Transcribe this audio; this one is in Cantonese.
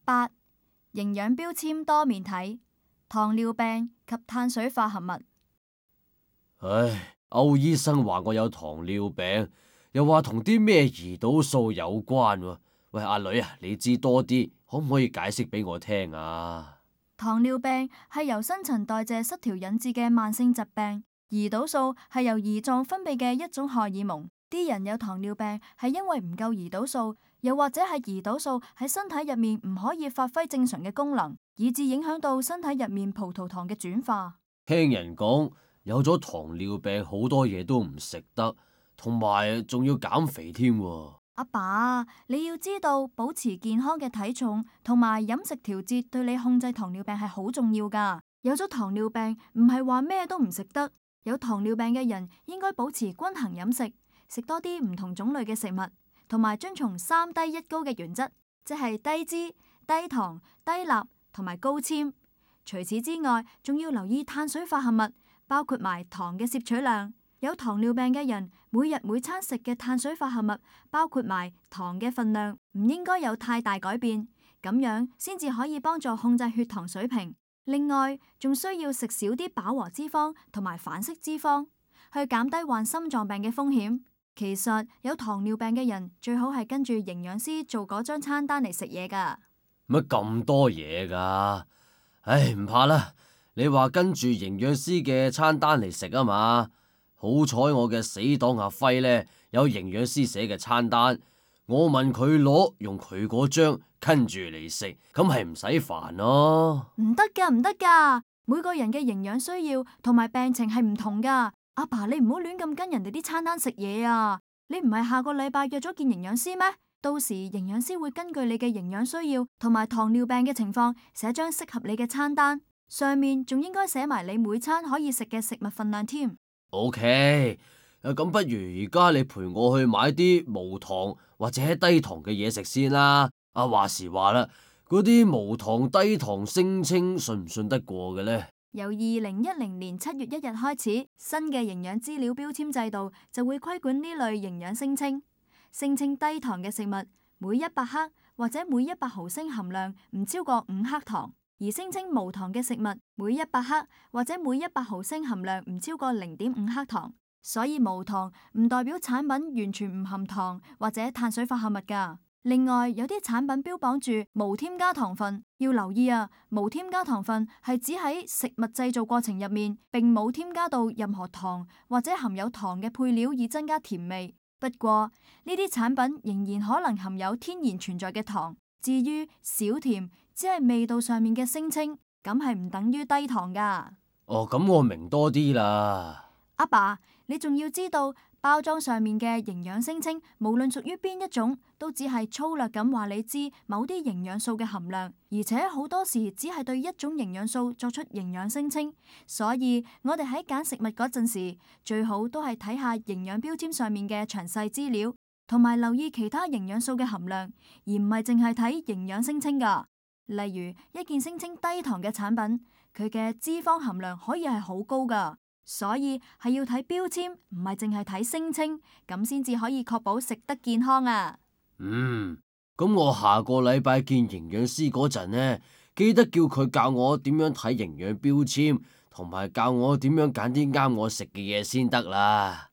8. 營養標籤多面睇，糖尿病及碳水化合物。唉，歐醫生話我有糖尿病，又話同啲咩胰島素有關喎。喂，阿女啊，你知多啲，可唔可以解釋俾我聽啊？糖尿病係由新陳代謝失調引致嘅慢性疾病，胰島素係由胰臟分泌嘅一種荷爾蒙。啲人有糖尿病係因為唔夠胰島素，又或者係胰島素喺身體入面唔可以發揮正常嘅功能，以致影響到身體入面葡萄糖嘅轉化。聽人講有咗糖尿病，好多嘢都唔食得，同埋仲要減肥添喎。阿爸，你要知道保持健康嘅體重同埋飲食調節對你控制糖尿病係好重要噶。有咗糖尿病唔係話咩都唔食得，有糖尿病嘅人應該保持均衡飲食，食多啲唔同種類嘅食物，同埋遵從3低1高嘅原則，即係低脂、低糖、低鈉同埋高纖。除此之外，仲要留意碳水化合物，包括埋糖嘅攝取量。有糖尿病嘅人，每日每餐食嘅碳水化合物，包括埋糖嘅份量，唔應該有太大改變，咁樣先至可以幫助控制血糖水平。另外，仲需要食少啲飽和脂肪同埋反式脂肪，去減低患心臟病嘅風險。其實有糖尿病嘅人最好係跟住營養師做嗰張餐單嚟食嘢噶。乜咁多嘢噶？唉，唔怕啦，你話跟住營養師嘅餐單嚟食啊嘛。好彩我嘅死黨阿輝呢，有營養師寫嘅餐單，我問佢攞，用佢嗰張跟住嚟食，咁係唔使煩咯。唔得噶，唔得噶，每個人嘅營養需要同埋病情係唔同噶。阿爸，你唔好亂咁跟人哋啲餐單食嘢啊！你唔係下個禮拜約咗見營養師咩？到時營養師會根據你嘅營養需要同埋糖尿病嘅情況，寫張適合你嘅餐單，上面仲應該寫埋你每餐可以食嘅食物份量添。OK，咁不如而家你陪我去買啲無糖或者低糖嘅嘢食先啦。話時話啦，嗰啲無糖低糖聲稱信唔信得過嘅呢？由2010年7月1日開始，新嘅營養資料標籤制度就會規管呢類營養聲稱。聲稱低糖嘅食物，每100克或者每100毫升含量唔超過5克糖。而聲稱無糖嘅食物，每100克或者每100毫升含量唔超過0.5克糖，所以無糖唔代表產品完全唔含糖或者碳水化合物㗎。另外，有啲產品標榜住無添加糖分，要留意啊！無添加糖分係指喺食物製造過程入面，並冇添加到任何糖或者含有糖嘅配料以增加甜味。不過呢啲產品仍然可能含有天然存在嘅糖。至於少甜，只係味道上面嘅聲稱，咁係唔等於低糖噶。哦，咁我明多啲啦。阿爸，你仲要知道包裝上面嘅營養聲稱，無論屬於邊一種，都只係粗略咁話你知某啲營養素嘅含量，而且好多時只係對一種營養素作出營養聲稱。所以我哋喺揀食物嗰陣時，最好都係睇下營養標籤上面嘅詳細資料，同埋留意其他營養素嘅含量，而唔係淨係睇營養聲稱噶。例如一件聲稱低糖嘅產品，佢嘅脂肪含量可以係好高噶，所以係要睇標籤，唔係淨係睇聲稱，咁先至可以確保食得健康啊。咁我下個禮拜見營養師嗰陣呢，記得叫佢教我點樣睇營養標籤，同埋教我點樣揀啲啱我食嘅嘢先得啦。